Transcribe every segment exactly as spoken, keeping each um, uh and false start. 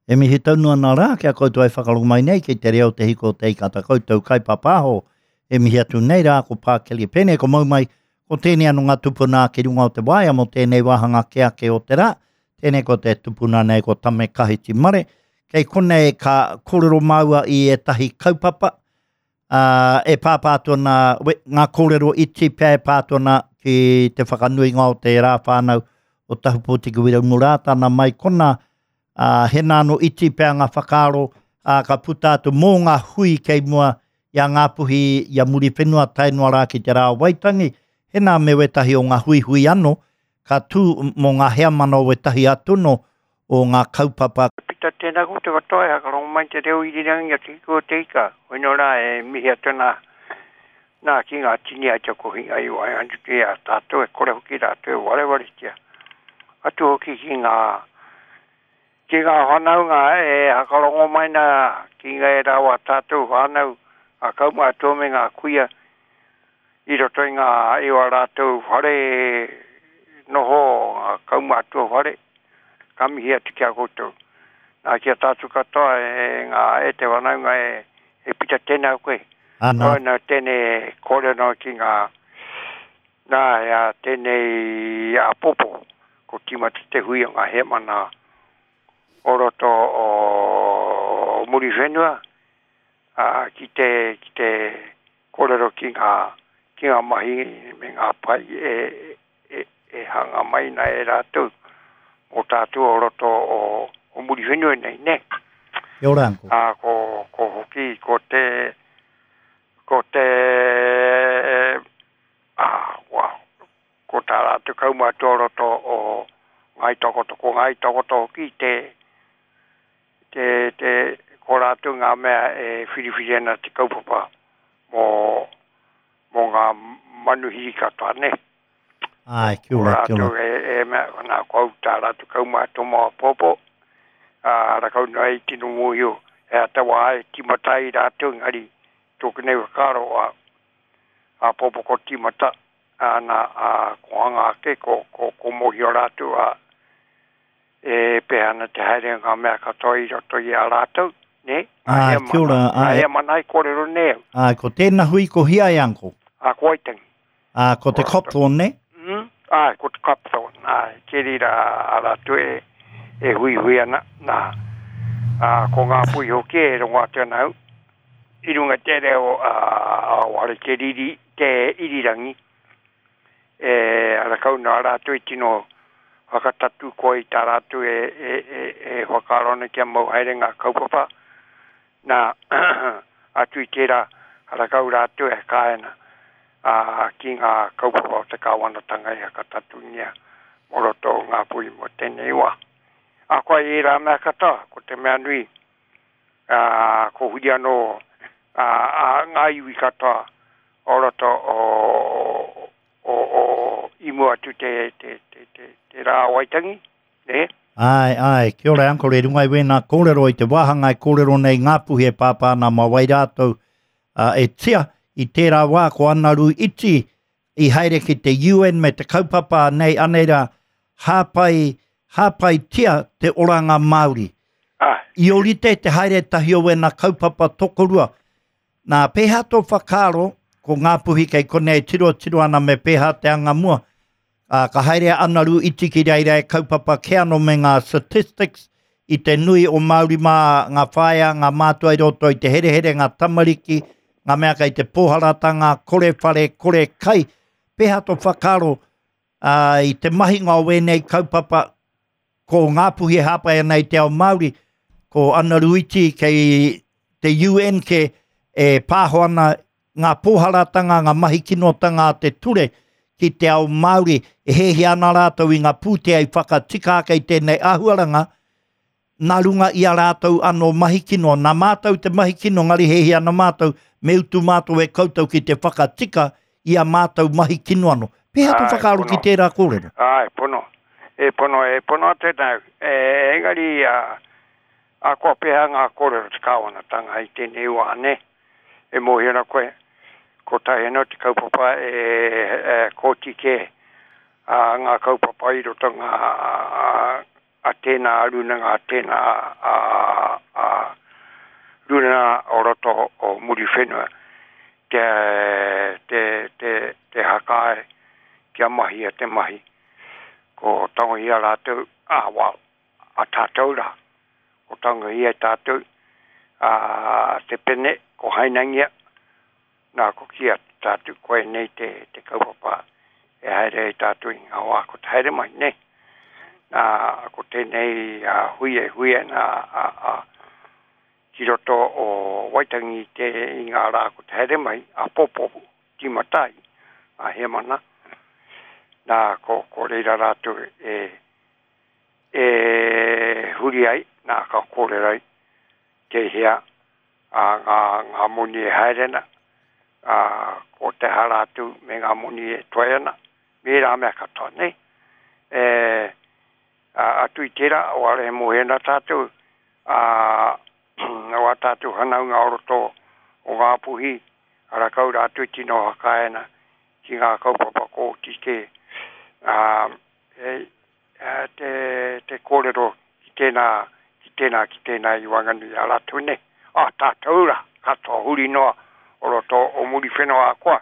E mihi taunu ana rā kia koutou e whakarongo mai nei ki te reo te hiko te ika ta koutou kaipapāho. E mihi atu nei rā ko Pākeli Pene, ko mau mai, ko tēnei anō ngā tupuna ki runga o te waea mō tēnei wāhanga ke ake o te rā. Tēnei ko te tupuna nei ko Tame Kahiti Mare. Kei konei ka kōrero māua i ētahi kaupapa, uh, e pāpā atu ana ngā kōrero iti pea e pā atu ana ki te whakanuinga o te rā whānau o Tahupōtiki Wiremu Rātana mai kona, uh, hena anō iti pea ngā whakaaro, uh, ka puta atu mō ngā hui kei mua i a Ngāpuhi, i a Muriwhenua tae noa rā ki te rā o Waitangi, hena me wetahi o ngā huihui anō, ka tū mō ngā heamana o wetahi atuno o ngā kaupapa. Pita tēnā koutou katoa e hakarongo mai te reo irirangi o Te Hiko o Te Ika. Hoino rā e mihi atu nā, nā ki ngā tini ai te kohinga i waenganui i a tātou e kore hoki rātou e warewaretia. Atu hoki ki ngā, ki ngā whanaunga e hakarongo mai nā ki ngā e rā o a tātou whānau, ngā kaumātua me ngā kuia i roto i ngā i wā rātou whare noho, ngā kaumātua whare. Ka mihi atu ki a koutou. Nā ki a tātou katoa e ngā e te whanaunga e, e pita tēnā koe. Ana. Koe nā tēnei kōrero ki ngā, nā e a tēnei āpōpō, ko tīmata te hui o ngā hemana o roto o Muriwhenua, ā, ki te, ki te kōrero ki ngā, ki ngā mahi me ngā pai e, e, e hanga mai nā e rātou o tātou o roto o, o Muriwhenua nei, ne? Kia ora, uncle. Ā, ko, ko hoki, ko te, ko te, ā, wow, ko tā rātou kaumātua o roto o Ngāi Takoto, ko Ngāi Takoto hoki te, te, te, ko rātou ngā mea e whiriwhiri ana te kaupapa mō, mō ngā manuhiri katoa, ne? Ai, kia ora, kia ora. Rātou e, e mea, nā, ko au tā rātou kaumātua mō āpōpō, ā, rakau noa i tino mōhio, e ata wā e tīmata ai rātou, engari tōku nei whakaaro a, āpōpō ko tīmata, ā, nā, ā, ko hanga ake, ko, ko, ko mōhio rātou, ā, e pēhea ana te haere ngā mea katoa i roto i a rātou, ne? Ai, Ngā kia ora, hea mana, ai. ngā hea mana i kōrero nei au. Ai, ko tēnā hui ko hia e, uncle? Ā, ko Waitangi. Ā, ko te Copthorne, ne? Mm, ai, ko te Copthorne, ai, te rira a rātou e, e huihui ana, nā, ā, ko ngā pui hoki e rongo atu ana au, i runga te reo, ā, ware te riri, te irirangi, e arakau nā rātou i tino whakatatu koe i tā rātou e, e, e, e whakaaro ana kia mau haere ngā kaupapa, nā, atu i tērā, arakau rātou e kāena, ā, ki ngā kaupapa o te kāwanatanga i whakatatungia mō roto o ngā pui mō tēnei wā. A koa i rā mea katoa, ko te mea nui, ā, ko huri anō, ā, ā, ngā iwi katoa o roto o, o, o, i mua atu te, te, te, te, te rā o Waitangi, ne? Ai, ai, kia ora, uncle, e runga i wēnā kōrero i te wāhanga e kōrero nei Ngāpuhi e pāpā ana mā wai rātou, ā, e tia, i tērā wā ko Anaru Iti i haere ki te U N me te kaupapa nei anei rā, hāpai, hāpaitia te oranga Māori. Ai. I orite te haere tahi o wēnā kaupapa tokorua. Nā, pēhea tō whakaaro, ko Ngāpuhi kei konei tiro tiro ana me pēhea te anga mua. Ā, ka haere a Anaru Iti ki reira e kaupapa ke anō me ngā statistics i te nui o Māori mā, ngā whaea, ngā mātua i roto i te herehere, ngā tamariki, ngā mea kei te pōharatanga, kore whare, kore kai. Pēhea tō whakaaro, ā, i te mahinga o wēnei kaupapa, ko Ngāpuhi e hāpai ana i te ao Māori, ko Anaru Iti kei te U N ke e pāho ana ngā pōharatanga, ngā mahi kinotanga a te ture ki te ao Māori, e hēhia ana rātou i ngā pūtea i whakatika ake i tēnei āhuaranga, nā runga i a rātou anō mahi kino, nā mātou te mahi kino, ngari hēhia ana mātou, me utu mātou e koutou ki te whakatika i a mātou mahi kino anō. Pēhea tō Ai, whakaaro ki pono. tērā kōrero? Ai, pono. E pono, e pono tēnā. E, engari, a, a kua pēhea ngā kōrero te kāwanatanga i tēnei wā, ne? E mōhio ana koe, ko tahi anō te kaupapa e, e kōti ke, a, ngā kaupapa i roto ngā, a, a tēnā rūnanga, a tēnā a, a, rūnanga o roto o Muriwhenua te, te, te, te hakae kia mahia te mahi. Ko tangohia rātou, a, well, a tātou rā. Ko tangohia tātou, a, te pene, ko hainangia, nā ko kia tātou, koe nei te, te kaupapa e haere ai tātou i ngā wā ko te haere mai, nei. Nā, ko tēnei a, hui e hui ana a, a, ki roto o Waitangi te i ngā rā ko te haere mai, a popo timatai, a hemana. Nā, ko, ko reira rātou e, e huri ai, nā ka kōrero ai, te hea a, ngā, ngā moni e haere ana, a, ko te hara atu me ngā moni e toe ana, me rā mea katoa, nei. E, a, atu i tērā, o are mohe ana tātou, a, o a tātou hanaunga o roto o ngā puhi, ara kau rātou tino hakaena ki ngā kaupapa kōti ke, a, e, a, te, te kōrero ki tēnā, ki tēnā, ki tēnā i wanganui a rātou nei. A, tātou rā, katoa huri noa o roto o Muriwhenua koa,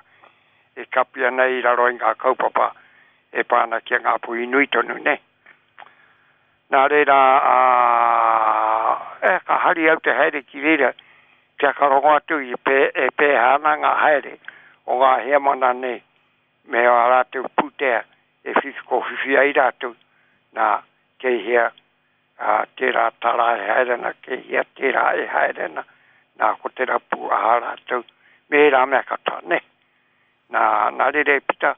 e kapi ana i raro i ngā kaupapa e pāna ki a ngā puhi nui tonu nei. Nā reira, a, e, ka hari au te haere ki reira, kia ka rongo atu i pē, e pēhā ana ngā haere o ngā heamana nei, me a rātou pūtea e whiwhi ko whiwhi ai rātou, nā, kei hea a, tērā tara e haere ana, kei hea tērā e haere ana, nā, ko te rapu aha rātou, me rā mea katoa, ne. Nā, nā rere pita,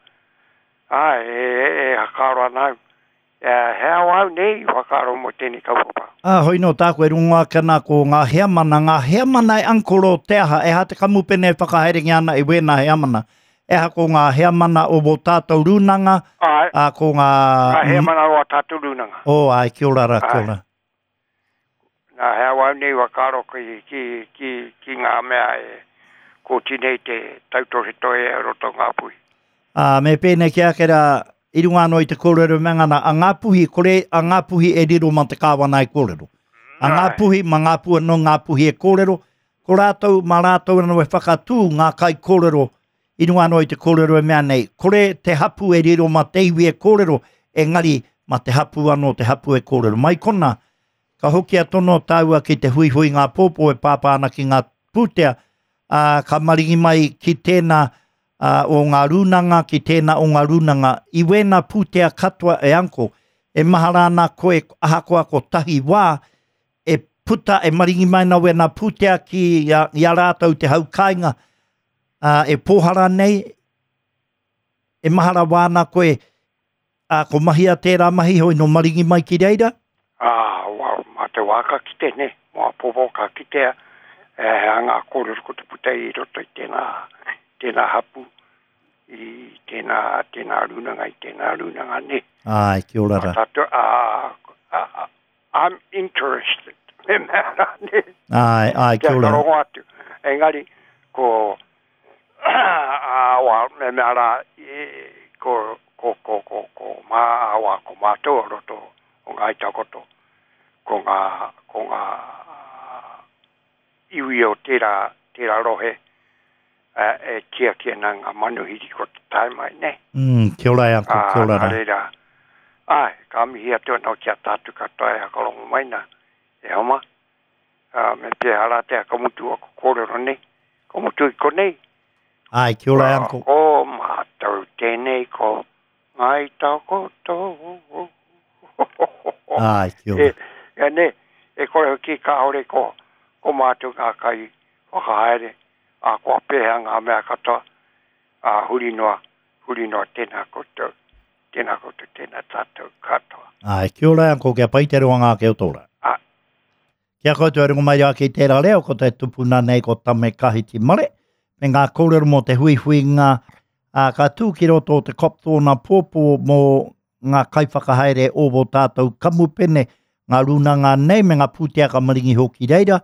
a, e, e, e hakaro ana au, e, he au au nei i whakaaro mō tēnei kaupapa. A, hoi no tāku e rongo ake ana ko ngā heamana, ngā heamana e ankoro te aha, e ha te kamupene e whakahaerengia ana i wēnā heamana. E ha ko ngā heamana o wō tātou rūnanga, Ai, a ko ngā... ngā heamana o a tātou rūnanga. O, ai, kia ora rā, kia Ai. ora. Nā, he au au nei whakaaro ki, ki, ki, ki ngā mea e kōti nei te tautohetohe e roto ngā puhi. A, me pēnei ki ake rā, i runga anō i te kōrero me ngana, a ngā puhi, kore a ngā puhi e riro ma te kāwana e kōrero. A ngā Ai. puhi, ma ngā puhi anō ngā puhi e kōrero, ko rātou, ma rātou anō e whakatū ngā kai kōrero, i runga anō i te kōrero e mea nei, kore te hapu e riro ma te iwi e kōrero, engari ma te hapu anō te hapu e kōrero. Mai kona, ka hoki a tono tāua ki te huihui ngā pōpō e pāpā ana ki ngā pūtea, ā, ka maringi mai ki tēnā ā, o ngā rūnanga, ki tēnā o ngā rūnanga. I wēnā pūtea katoa e anko, e mahara ana koe ahakoa ko tahi wā, e puta e maringi mai na wēnā pūtea ki a, i a rātou te hau kāinga, ā, e pōhara nei, e mahara wāna koe, ā, ko mahia tērā mahi hoi no maringi mai ki reira? Ā, wa, mā te wā ka kite, ne? Mō a pōpō ka kitea, e, hea ngā kōrero ko te puta i roto i tēnā, tēnā hapu, i tēnā, tēnā rūnanga, i tēnā rūnanga, ne? Ai, kia ora rā. Tātou, ā, ā, ā, I'm interested. Me mea rā, ne? Ai, ai, kia Kia ora. rongo atu. Engari, ko, a, wa, me mea rā, e, ko, ko, ko, ko, ko, mā, wa, ko mātou o roto o Ngāi Takoto, ko ngā, ko ngā iwi o tērā, tērā rohe, e, e tiaki ana ngā manuhiri ko te tae mai, ne? Mm, kia ora e anko, kia ora nā rā. reira, ai, ka mihi atu anō ki a tātou katoa e hakarongo mai nā, e homa, a, me te hara te hakamutu o ko kōrero nei, ko mutu i konei. Ai, kia ora e anko. Ko mātou tēnei ko Ngāi Takoto. Ai, kia ora. E, e ne, e kore hoki kāore ko, ko mātou ngā kai whakahaere, a kua pēhea ngā mea katoa, a huri noa, huri noa tēnā koutou, tēnā koutou, tēnā tātou katoa. Ai, kia ora e anko, kia pai te roanga ake o tōra. Ai. Kia koutou e rongo mai rā ki tērā reo, ko te tupuna nei ko Tame Kahiti Mare, me ngā kōrero mō te huihuinga, ā, ka tū ki roto o te Copthorne pōpō mō ngā kaiwhakahaere o wō tātou kamupene, ngā rūnanga nei me ngā pūtea ka maringi hoki reira,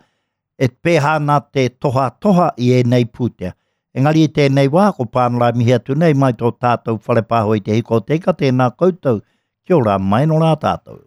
e pēhā ana te toha toha i ēnei pūtea. Engari i tēnei wā, ko Pānara mihi atu nei mai tō tātou whare pāho i te hiko o te ika, tēnā koutou, kia ora mai no rā tātou.